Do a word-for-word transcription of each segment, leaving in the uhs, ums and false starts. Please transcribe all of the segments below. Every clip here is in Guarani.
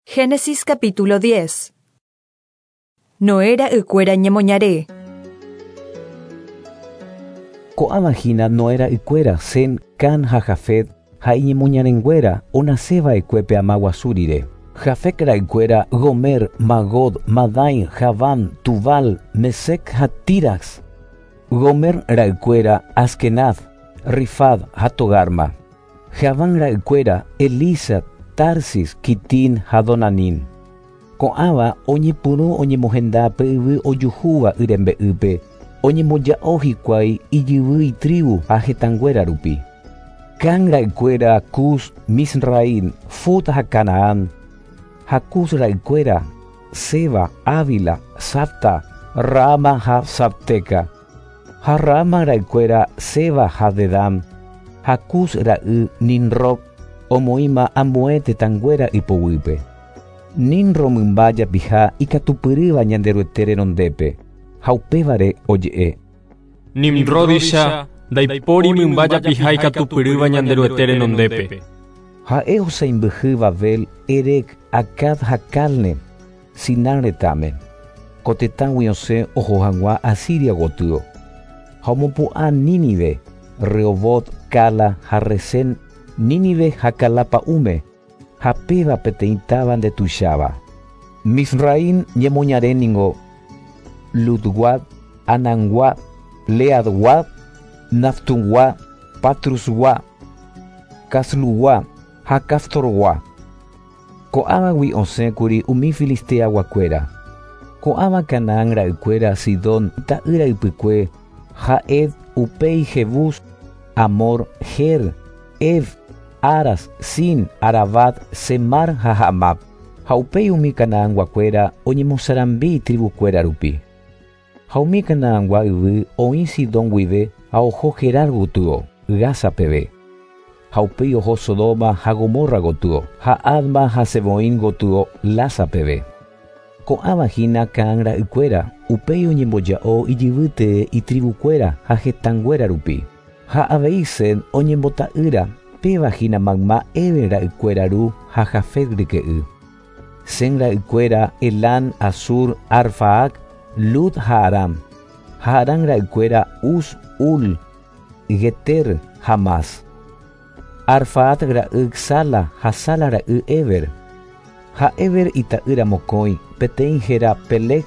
Génesis capítulo diez. Noé ra'ykuéra ñemoñare. Ko'ãva hína Noé ra'ykuéra Sem, Cam ha Jafet ha iñemoñarenguéra onaseva'ekue pe ama guasu rire. Jafet ra'ykuéra Gomer, Magog, Madai, Javán, Tubal, Mesec ha Tiras. Gomer ra'ykuéra Askenaz, Rifad ha Togarma. Javán ra'ykuéra Elisa, Tarsis, Kitín ha Donanín. Ko'ãva oñepyrũ oñemohenda pe yvy ojuhúva y rembe'ýpe, oñemboja'o hikuái ijyvy itribu ha hetãnguéra rupi. Cam ra'ykuéra Cus, Misraim, Fut ha Canaán. Ha Cus ra'ykuéra Seba, Ávila, Sabta, Raama ha Sabteca. Ha Raama ra'ykuéra Seba ha Dedán. Ha Cus ra'y Nimrod omoĩma ambue tetãnguéra ipoguýpe. Nimrod mymba japiha ikatupyrýva Ñanderuete renondépe ha upévare oje'e. Nimródicha ndaipóri mymba japiha ikatupyrýva Ñanderuete renondépe. Ha'e osãimbyhy Babel, Erec, Acad ha Calne, Sinar retãme. Ko tetãgui osẽ oho hag̃ua Asiria gotyo. Ha omopu'ã Nínive, Rehobot, Cala ha Resén, Nínive ha Cala pa'ũme, ha péva peteĩ táva ndetuicháva. Misraim ñemoñare ningo Ludgua, Anangua, Leadgua, Naftungua, Patrusgua, Caslugua ha Caftorgua. Ko'ãvagui osẽkuri umi filisteaguakuéra. Ko'ãva Canaán ra'ykuéra Sidón ta'ýra ypykue, Ha'ed, upéi Jebús, Amor, Her, Ev, Aras, Sin, Aravad, Semar ha Hamab. Ha upéi umi Canaanguakuéra oñemosarambi tribukuéra rupi. Ha umi Canaangua yvy oĩ Sidón guive ha oho Gerar gotyo, Gaza peve. Ha upéi oho Sodoma ha Gomorra gotyo, ha Adma ha Seboim gotyo, Lasa peve. Ko'ãva hína Cam ra'ykuéra, upéi oñemboja'o ijyvýte itribukuéra ha hetãnguéra rupi. Ha avei Sem oñembota'ýra, péva hína mayma Éber ra'ykuéra ru ha Jafet ryke'y. Sem ra'ykuéra Elam, Asur, Arfaak, Lud ha Aram. Ha Aram ra'ykuéra Uz, Hul, Geter ha Mas. Arfaat ra'y Sala ha Sala ra'y Éber. Ha Éber ita'ýra mokõi, peteĩ héra Peleg,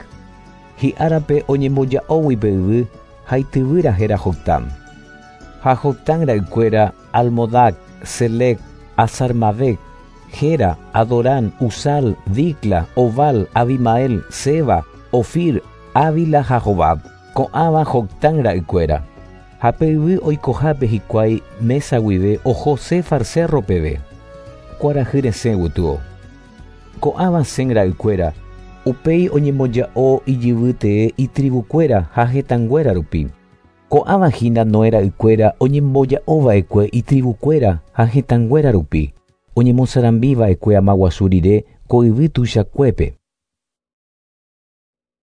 hi'árape oñemboja'ógui pe yvy ha ityvýra héra Joctán. Ha Joctán ra'ykuéra Almodac, Selec, Azarmavec, Gera, Adorán, Uzal, Dicla, Obal, Abimael, Seba, Ofir, Ávila ha Jobab. Ko'ãva Joctán ra'ykuéra. Ha pe yvy oikohápe hikuái Mesa guive oho Sefar cerro peve, kuarahy resẽ gotyo. Ko'ãva Sem ra'ykuéra, upéi oñemboja'o ijyvýtee itribukuéra ha hetãnguéra rupi. Ko'ãva hína Noé ra'ykuéra oñemboja'ova'ekue itribukuéra ha hetãnguéra rupi, oñemosarambiva'ekue ama guasu rire ko yvy tuichakuépe.